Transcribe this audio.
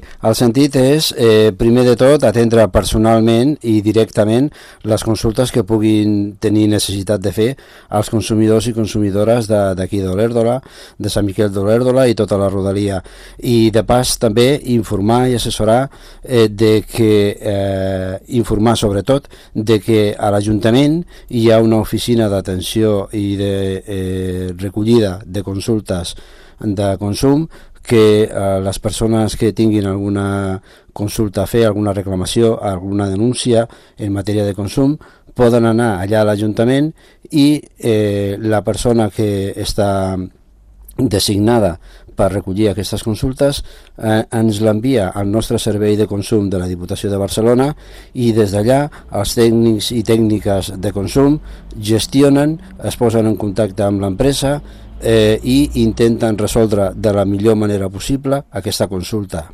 El sentit és, primer de tot, atendre personalment i directament les consultes que puguin tenir necessitat de fer els consumidors i consumidores d'aquí d'Olèrdola, de Sant Miquel d'Olèrdola i tota la rodalia. I de pas també informar i assessorar informar sobretot de que a l'Ajuntament hi ha una oficina d'atenció i de recollida de consultes de consum que les persones que tinguin alguna consulta a fer, alguna reclamació, alguna denúncia en matèria de consum, poden anar allà a l'Ajuntament i la persona que està designada per recollir aquestes consultes ens l'envia al nostre servei de consum de la Diputació de Barcelona i des d'allà els tècnics i tècniques de consum gestionen, es posen en contacte amb l'empresa i intenten resoldre de la millor manera possible aquesta consulta.